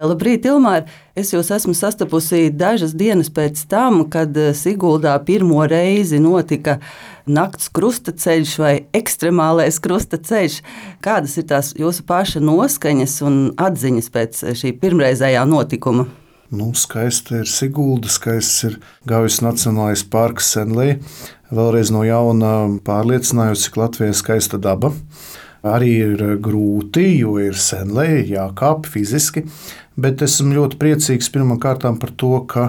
Labrīt, Ilmār! Es jūs esmu sastapusi dažas dienas pēc tam, kad Siguldā pirmo reizi notika nakts krustaceļš vai ekstremālais krustaceļš. Kādas ir tās jūsu paša noskaņas un atziņas pēc šī pirmreizējā notikuma? Skaista ir Sigulda, skaists ir Gaujas Nacionālais parks Senlī. Vēlreiz no jauna pārliecinājos, cik Latvijā ir skaista daba. Arī ir grūti, jo ir Senlī, jākāp fiziski, bet esmu ļoti priecīgs pirmkārt par to, ka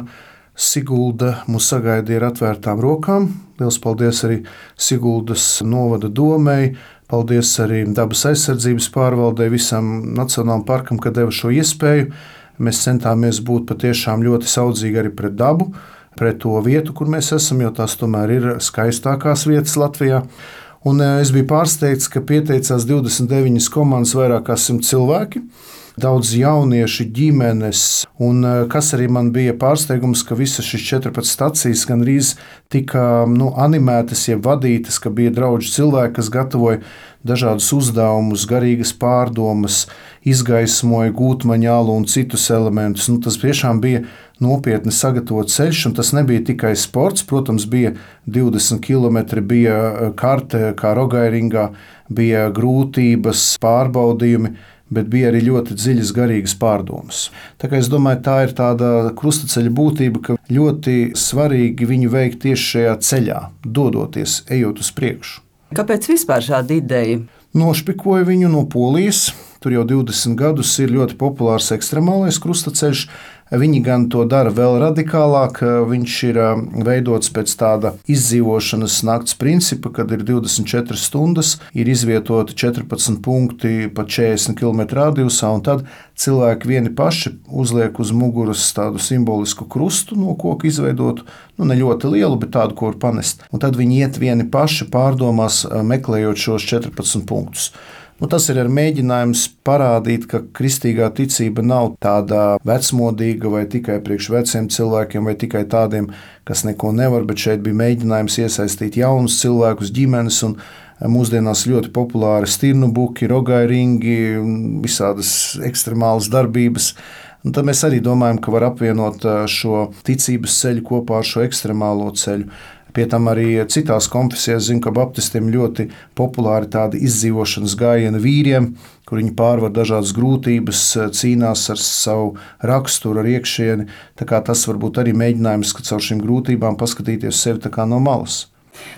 Sigulda mūs sagaidīja ar atvērtām rokām. Liels paldies arī Siguldas novada domei, paldies arī dabas aizsardzības pārvaldei, visam Nacionālajam parkam, ka deva šo iespēju. Mēs centāmies būt patiešām ļoti saudzīgi arī pret dabu, pret to vietu, kur mēs esam, jo tās tomēr ir skaistākās vietas Latvijā. Un es biju pārsteigts, ka pieteicās 29 komandas, vairāk kā 100 cilvēki, daudz jaunieši, ģimenes. Un kas arī man bija pārsteigums, ka visas šīs 14 stacijas gandrīz tika animētas, jeb vadītas, ka bija draugi cilvēki, kas gatavoja dažādus uzdevumus, garīgas pārdomas, izgaismoja gūtmaņālu un citus elementus. Tas tiešām bija nopietni sagatavots ceļš, un tas nebija tikai sports. Protams, bija 20 km, bija karte kā Rogairingā, bija grūtības, pārbaudījumi, bet bija arī ļoti dziļas garīgas pārdomas. Tā kā es domāju, tā ir tāda krustaceļa būtība, ka ļoti svarīgi viņu veikt tieši šajā ceļā, dodoties, ejot uz priekšu. Kāpēc vispār šāda ideja? Nošpikoju viņu no Polijas. Tur jau 20 gadus ir ļoti populārs ekstremālais krustaceļš. Viņi gan to dara vēl radikālāk. Viņš ir veidots pēc tāda izdzīvošanas nakts principa, kad ir 24 stundas, ir izvietoti 14 punkti pa 40 km radiusā, un tad cilvēki vieni paši uzliek uz muguras tādu simbolisku krustu no koka izveidotu, ne ļoti lielu, bet tādu, ko var panest. Un tad viņi iet vieni paši pārdomās, meklējot šos 14 punktus. Tas ir mēģinājums parādīt, ka kristīgā ticība nav tāda vecmodīga vai tikai priekš veciem cilvēkiem vai tikai tādiem, kas neko nevar, bet šeit bija mēģinājums iesaistīt jaunus cilvēkus, ģimenes un mūsdienās ļoti populāri stirnu buki, rogairingi, visādas ekstremālas darbības. Un tad mēs arī domājam, ka var apvienot šo ticības ceļu kopā ar šo ekstremālo ceļu. Pie tam arī citās konfesijās zinu, ka baptistiem ļoti populāri tādi izdzīvošanas gājieni vīriem, kur viņi pārvar dažādas grūtības, cīnās ar savu raksturu, ar iekšieni. Tā kā tas varbūt arī mēģinājums, ka caur šīm grūtībām paskatīties sevi tā kā no malas.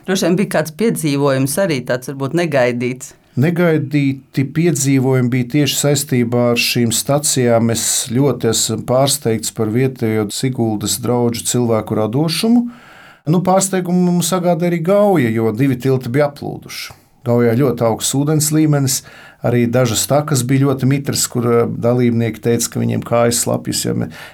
Droši vien bija kāds piedzīvojums arī tāds varbūt negaidīts. Negaidīti piedzīvojumi bija tieši saistībā ar šīm stacijām. Es ļoti esmu pārsteigts par vietējo Siguldas draugu cilvēku radošumu. Pārsteigumu mums sagādā arī Gauja, jo 2 tilti bija aplūduši. Gaujā ļoti augsts ūdens līmenis, arī dažas takas bija ļoti mitras, kur dalībnieki teica, ka viņiem kājas slapjas.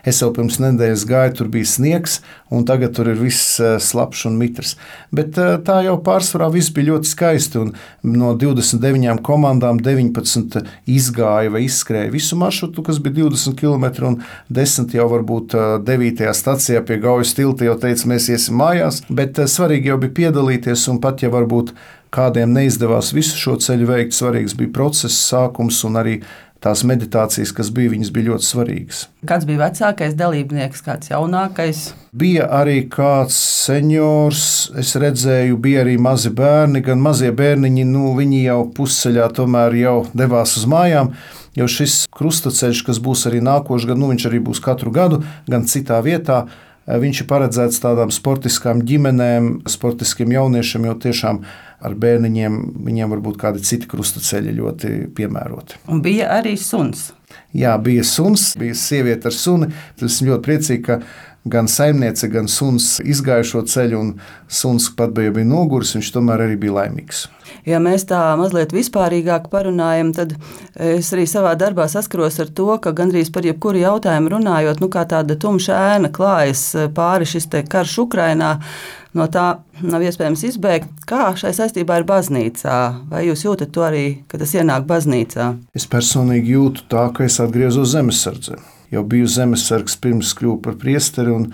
Es jau pirms nedēļas gāju, tur bija sniegs, un tagad tur ir viss slapjš un mitrs. Bet tā jau pārsvarā viss bija ļoti skaisti, un no 29 komandām 19 izgāja vai izskrēja visu maršrutu, kas bija 20 km, un 10 jau varbūt 9. stacijā pie Gaujas tilta jau teica, mēs iesim mājās, bet svarīgi jau bija piedalīties, un pat ja varbūt kādiem neizdevās visu šo ceļu veikt, svarīgs bija process, sākums un arī tās meditācijas, kas bija, viņas bija ļoti svarīgas. Kāds bija vecākais dalībnieks, kāds jaunākais? Bija arī kāds seniors, es redzēju, bija arī mazi bērni, gan mazie bērniņi, viņi jau pusceļā tomēr jau devās uz mājām, jo šis krustaceļš, kas būs arī nākošais gads, viņš arī būs katru gadu, gan citā vietā. Viņš ir paredzēts tādām sportiskām ģimenēm, sportiskiem jauniešiem, jo tiešām ar bērniņiem viņiem var būt kādi citi krustaceļi ļoti piemēroti. Un bija arī suns. Jā, bija suns, bija sieviete ar suni. Esmu ļoti priecīgi, ka gan saimniece, gan suns izgāja šo ceļu, un suns pat bija noguris, viņš tomēr arī bija laimīgs. Ja mēs tā mazliet vispārīgāk parunājam, tad es arī savā darbā saskaros ar to, ka gandrīz par jebkuru jautājumu runājot, kā tāda tumša ēna klājas pāri šis karš Ukrainā, no tā nav iespējams izbēgt. Kā šai saistībā ir baznīcā? Vai jūs jūtat to arī, ka tas ienāk baznīcā? Es personīgi jūtu tā, ka es atgriezos zemesardzē. Jau biju zemesargs pirms kļuvu par priesteri, un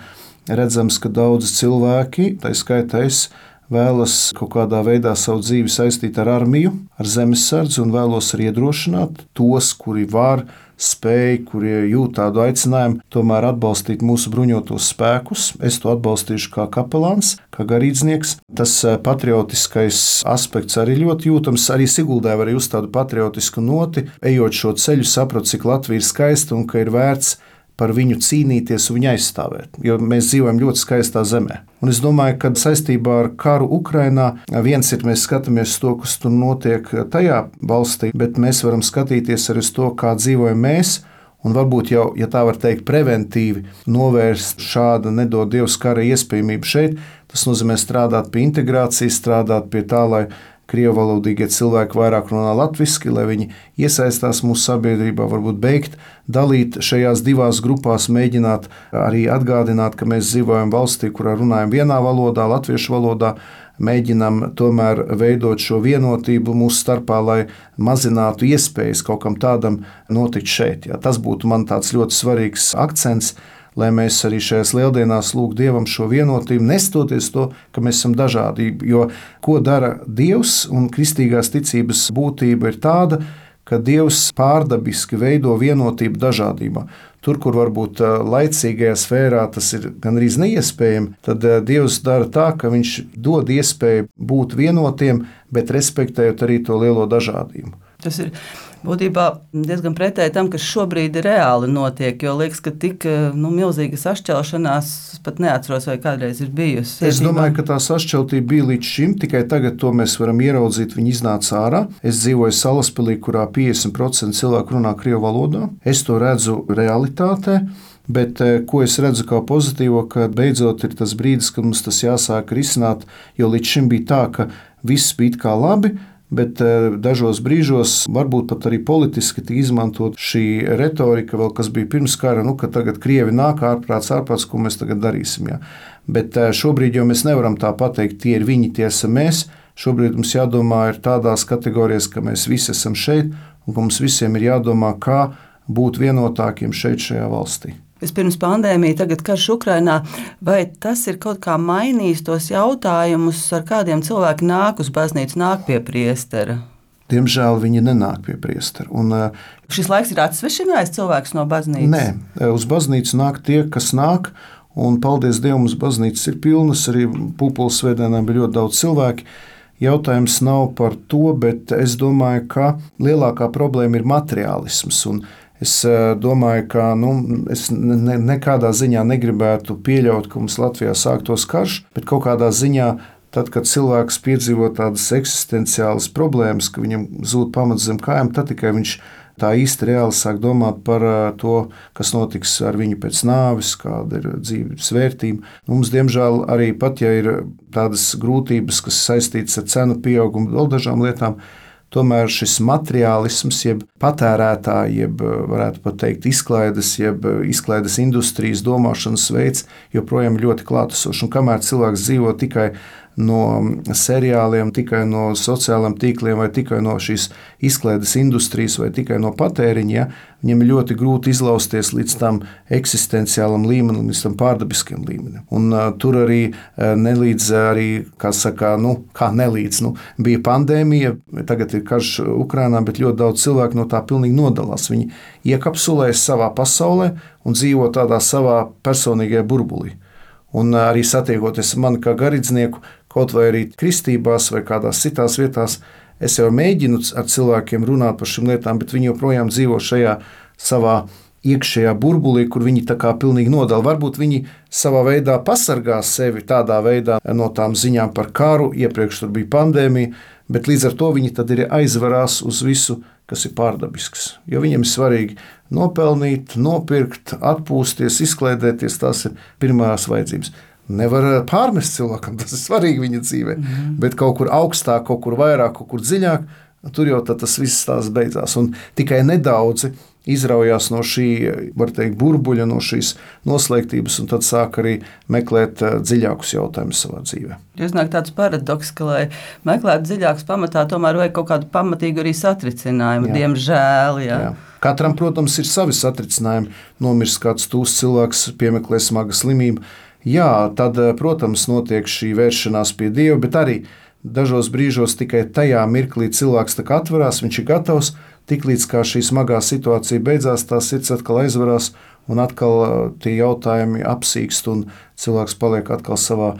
redzams, ka daudzi cilvēki, tā skaitā es, vēlas kaut kādā veidā savu dzīvi saistīt ar armiju, ar zemesardzi un vēlos arī iedrošināt tos, kuri var, spēj, kuri jūt tādu aicinājumu, tomēr atbalstīt mūsu bruņotos spēkus. Es to atbalstīšu kā kapelāns, kā garīdznieks. Tas patriotiskais aspekts arī ļoti jūtams. Arī Siguldē var just tādu patriotisku noti. Ejot šo ceļu, sapratu, cik Latvija ir skaista un ka ir vērts par viņu cīnīties un viņu aizstāvēt, jo mēs dzīvojam ļoti skaistā zemē. Un es domāju, ka saistībā ar karu Ukrainā viens ir, mēs skatāmies to, kas tur notiek tajā valstī, bet mēs varam skatīties arī uz to, kā dzīvojam mēs, un varbūt jau, ja tā var teikt, preventīvi novērst šādu nedod Dievs kara iespējamību šeit. Tas nozīmē strādāt pie integrācijas, strādāt pie tā, lai krievalodīgie cilvēki vairāk runā latviski, lai viņi iesaistās mūsu sabiedrībā, varbūt beigt dalīt šajās divās grupās, mēģināt arī atgādināt, ka mēs dzīvojam valstī, kurā runājam vienā valodā, latviešu valodā, mēģinam tomēr veidot šo vienotību mūsu starpā, lai mazinātu iespējas kaut kam tādam notikt šeit. Ja, tas būtu man tāds ļoti svarīgs akcents, lai mēs arī šajās lieldienās lūgtu Dievam šo vienotību, nestoties to, ka mēs esam dažādi. Jo ko dara Dievs un kristīgās ticības būtība ir tāda, ka Dievs pārdabiski veido vienotību dažādībā. Tur, kur varbūt laicīgajā sfērā tas ir gandrīz neiespējami, tad Dievs dara tā, ka viņš dod iespēju būt vienotiem, bet respektējot arī to lielo dažādību. Tas ir būtībā diezgan pretēji tam, kas šobrīd reāli notiek, jo liekas, ka tik milzīga sašķelšanās pat neatceros, vai kādreiz ir bijusi. Es domāju, ka tā sašķeltība bija līdz šim, tikai tagad to mēs varam ieraudzīt, viņi iznāca ārā. Es dzīvoju Salaspilī, kurā 50% cilvēku runā krievu valodā. Es to redzu realitātē. Bet ko es redzu kā pozitīvo, ka beidzot ir tas brīdis, kad mums tas jāsāk risināt, jo līdz šim bija tā, ka viss bija kā labi, bet dažos brīžos varbūt pat arī politiski tika izmantot šī retorika, vēl kas bija pirms kara, ka tagad Krievi nāk ārprāts, ko mēs tagad darīsim. Ja. Bet šobrīd jau mēs nevaram tā pateikt, tie ir viņi, tie esam mēs. Šobrīd mums jādomā ir tādās kategorijās, ka mēs visi esam šeit un ka mums visiem ir jādomā, kā būt vienotākiem šeit šajā valstī. Vispirms pandēmija, tagad karš Ukrainā, vai tas ir kaut kā mainījis tos jautājumus, ar kādiem cilvēki nāk uz baznīcu, nāk pie priestera? Diemžēl viņi nenāk pie priestera. Šis laiks ir atsvešinājis cilvēkus no baznīcas? Nē, uz baznīcu nāk tie, kas nāk, un paldies Dievam, mums baznīcas ir pilnas, arī Pūpoles svētdienā bija ļoti daudz cilvēki. Jautājums nav par to, bet es domāju, ka lielākā problēma ir materiālisms, un es domāju, ka es nekādā ziņā negribētu pieļaut, ka mums Latvijā sāktos karš, bet kaut kādā ziņā, tad, kad cilvēks piedzīvo tādas eksistenciālas problēmas, ka viņam zūd pamats zem kājām, tad tikai viņš tā īsti reāli sāk domāt par to, kas notiks ar viņu pēc nāves, kāda ir dzīves vērtība. Mums, diemžēl, arī pat, ja ir tādas grūtības, kas saistītas ar cenu pieaugumu, vēl dažām lietām, tomēr šis materiālisms, jeb patērētāji, jeb varētu pat teikt izklaides industrijas domāšanas veids, joprojām ļoti klātesošs. Un kamēr cilvēks dzīvo tikai no seriāliem, tikai no sociāliem tīkliem, vai tikai no šīs izklaides industrijas, vai tikai no patēriņa, viņam ir ļoti grūti izlausties līdz tam eksistenciālam līmenim, līdz tam pārdabiskiem līmenim. Un tur arī nelīdz, bija pandēmija, tagad ir karš Ukrainā, bet ļoti daudz cilvēku no tā pilnīgi nodalās. Viņi iekapsulējas savā pasaulē un dzīvo tādā savā personīgajā burbulī. Un arī satiekoties mani kā garīdznieku, kaut vai arī kristībās vai kādās citās vietās, es jau mēģinu ar cilvēkiem runāt par šīm lietām, bet viņi joprojām dzīvo šajā savā iekšējā burbulī, kur viņi tā kā pilnīgi nodala. Varbūt viņi savā veidā pasargā sevi tādā veidā no tām ziņām par karu, iepriekš tur bija pandēmija, bet līdz ar to viņi tad ir aizvarās uz visu, kas ir pārdabisks. Jo viņiem ir svarīgi nopelnīt, nopirkt, atpūsties, izklaidēties, tās ir pirmās vajadzības. Nevar pārmest cilvēkam, tas ir svarīgi viņa dzīvē, bet kaut kur augstāk, kaut kur vairāk, kaut kur dziļāk, tur jau tas viss tās beidzās. Un tikai nedaudzi izraujās no šī, var teikt, burbuļa, no šīs noslēgtības, un tad sāk arī meklēt dziļākus jautājumus savā dzīvē. Iznāk tāds paradoks, ka, lai meklētu dziļākus pamatā, tomēr vajag kaut kādu pamatīgu arī satricinājumu, diemžēl. Jā. Jā. Katram, protams, ir savi satricinājumi. Nomirst kāds tūs cilvēks, piemeklē smaga slimība. Jā, tad, protams, notiek šī vēršanās pie Dieva, bet arī dažos brīžos tikai tajā mirklī cilvēks tā kā atverās, viņš ir gatavs. Tiklīdz kā šī smagā situācija beidzās, tā sirds atkal aizvarās un atkal tie jautājumi apsīkst un cilvēks paliek atkal savā,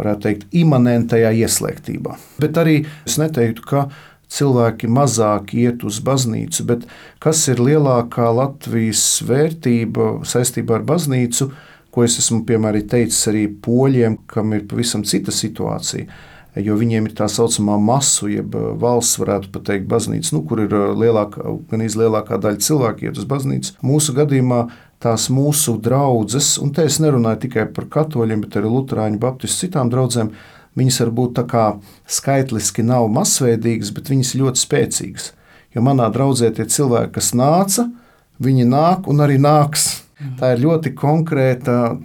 varētu teikt, imanentajā ieslēgtībā. Bet arī es neteiktu, ka cilvēki mazāk iet uz baznīcu, bet kas ir lielākā Latvijas vērtība saistībā ar baznīcu, ko es esmu piemēram teicis arī poļiem, kam ir pavisam cita situācija. Jo viņiem ir tā saucamā masu, jeb valsts, varētu pat teikt, baznīca, kur ir gan lielākā daļa cilvēku iet uz baznīcu. Mūsu gadījumā tās mūsu draudzes, un te es nerunāju tikai par katoļiem, bet arī luterāņu, baptistu, citām draudzēm, viņas varbūt tā kā skaitliski nav masveidīgas, bet viņas ir ļoti spēcīgas. Jo manā draudzē tie cilvēki, kas nāca, viņi nāk un arī nāks. Tā ir ļoti konkrēta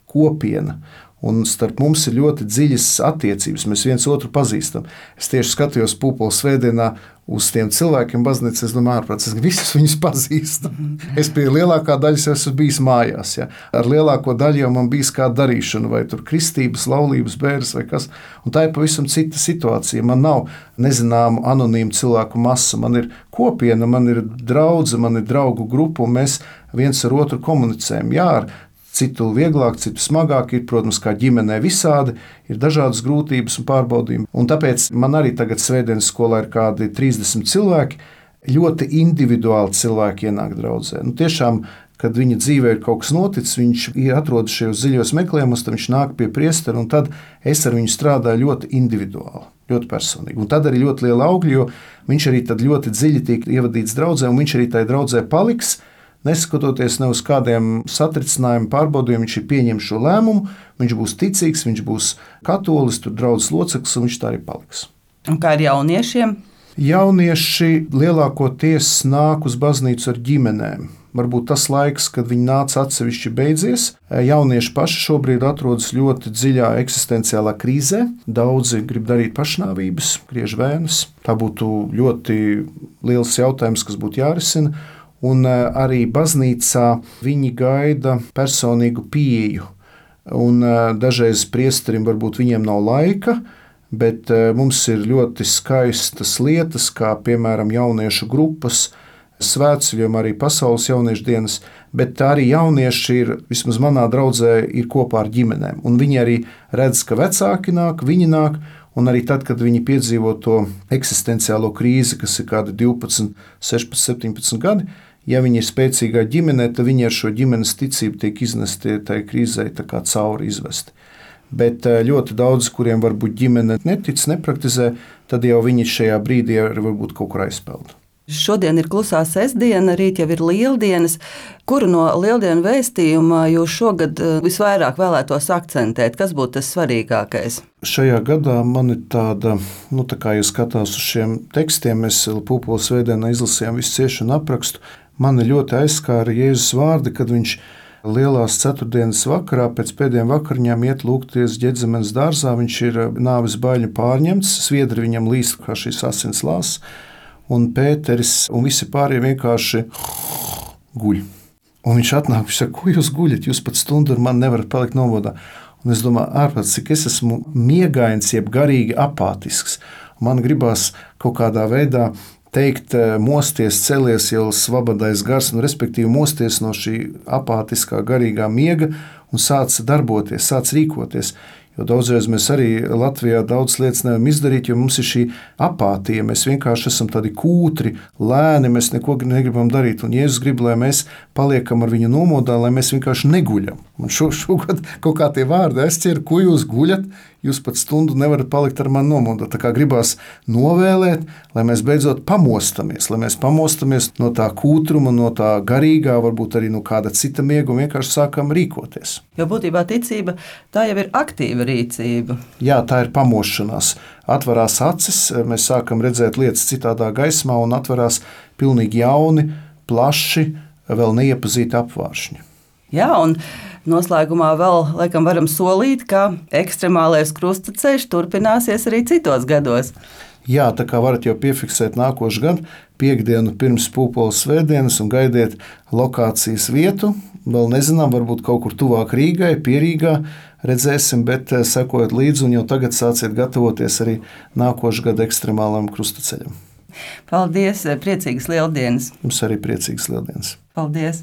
kopiena. Un starp mums ir ļoti dziļas attiecības. Mēs viens otru pazīstam. Es tieši skatījos Pūpoles svētdienā uz tiem cilvēkiem baznīcā. Es domāju, ārprāt, es visus viņus pazīstu. Es pie lielākā daļas esmu bijis mājās. Ja. Ar lielāko daļu jau man bijis kāda darīšana, vai tur kristības, laulības, bērns vai kas. Un tā ir pavisam cita situācija. Man nav nezināmu anonīmu cilvēku masa. Man ir kopiena, man ir draudze, man ir draugu grupa, un mēs viens ar otru komunicējam. Jā, ar citu vieglāk, citu smagāk ir, protams, kā ģimenē visādi, ir dažādas grūtības un pārbaudījumi. Un tāpēc man arī tagad svētdienas skolā ir kādi 30 cilvēki, ļoti individuāli cilvēki ienāk draudzē. Tiešām, kad viņa dzīvē ir kaut kas noticis, viņš atrodas šajos dziļos meklējumos, tad viņš nāk pie priestera, un tad es ar viņu strādāju ļoti individuāli, ļoti personīgi. Un tad arī ļoti liela augļa, jo viņš arī tad ļoti dziļi tiek ievadīts draudzē, un viņš arī tajā draudzē paliks, neskatoties ne uz kādiem satricinājumiem, pārbaudījumiem, viņš ir pieņēmis šo lēmumu, viņš būs ticīgs, viņš būs katolis, tur draudzes loceklis, un viņš tā arī paliks. Un kā ar jauniešiem? Jaunieši lielākoties nāk uz baznīcu ar ģimenēm. Varbūt tas laiks, kad viņi nāca atsevišķi beidzies. Jaunieši paši šobrīd atrodas ļoti dziļā eksistenciālā krīzē. Daudzi grib darīt pašnāvības, griež vēnas. Tā būtu ļoti liels jautājums, kas būtu jārisina. Un arī baznīcā viņi gaida personīgu pieeju. Un dažreiz priesterim varbūt viņiem nav laika, bet mums ir ļoti skaistas lietas, kā piemēram jauniešu grupas, svētceļojumi, arī pasaules jauniešu dienas, bet arī jaunieši ir, vismaz manā draudzē, ir kopā ar ģimenēm. Un viņi arī redz, ka vecāki nāk, viņi nāk, un arī tad, kad viņi piedzīvo to eksistenciālo krīzi, kas ir kādi 12, 16, 17 gadi, ja viņi ir spēcīgā ģimenē, tad viņi ar šo ģimenes ticību tiek iznesti tajā krīzē tā kā cauri izvesti. Bet ļoti daudz, kuriem varbūt ģimene netic, nepraktizē, tad jau viņi šajā brīdī varbūt kaut kur aizpeld. Šodien ir klusā sestdiena, rīt jau ir lieldienas. Kuru no lieldienu vēstījuma jūs šogad visvairāk vēlētos akcentēt? Kas būtu tas svarīgākais? Šajā gadā man ir tāda, tā kā jūs skatās uz šiem tekstiem, mēs Pūpoles svētdienā izlasījām visu ciešanu aprakstu. Mani ļoti aizskāra Jēzus vārdi, kad viņš lielās ceturtdienas vakarā pēc pēdējiem vakariņām iet lūgties Ģedzemenes dārzā. Viņš ir nāves baiļu pārņemts, sviedri viņam līst kā šīs asins lāses, un Pēteris un visi pārējie vienkārši guļ. Un viņš atnāk, viņš saka, ko jūs guļat, jūs pat stundu ar mani nevarat palikt nomodā. Un es domāju, ārpēc, cik es esmu miegains, jeb garīgi apātisks. Man gribās kaut kādā veidā teikt, mosties, celies jau svabadais gars, respektīvi mosties no šī apātiskā garīgā miega un sāc darboties, sāc rīkoties. Jo daudzreiz mēs arī Latvijā daudz lietas nevaram izdarīt, jo mums ir šī apātija. Mēs vienkārši esam tādi kūtri, lēni, mēs neko negribam darīt. Un Jēzus grib, lai mēs paliekam ar viņu nomodā, lai mēs vienkārši neguļam. Man šogad kaut kā tie vārdi aizķer, ko jūs guļat, jūs pat stundu nevarat palikt ar mani nomodā. Tā kā gribās novēlēt, lai mēs beidzot pamostamies, no tā kūtruma, no tā garīgā, varbūt arī no kāda cita miega un vienkārši sākam rīkoties. Jo būtībā ticība tā jau ir aktīva rīcība. Jā, tā ir pamošanās. Atverās acis, mēs sākam redzēt lietas citādā gaismā un atverās pilnīgi jauni, plaši, vēl neiepazīti apvāršņi. Jā, un noslēgumā vēl laikam varam solīt, ka ekstremālais krustaceļš turpināsies arī citos gados. Jā, tā kā varat jau piefiksēt nākošu gadu, piekdienu pirms Pūpoles svētdienas un gaidiet lokācijas vietu. Vēl nezinām, varbūt kaut kur tuvāk Rīgai, Pierīgā, redzēsim, bet sekojot līdzi un jau tagad sāciet gatavoties arī nākošu gadu ekstremālam krustaceļam. Paldies, priecīgas Lieldienas! Jums arī priecīgas Lieldienas! Paldies!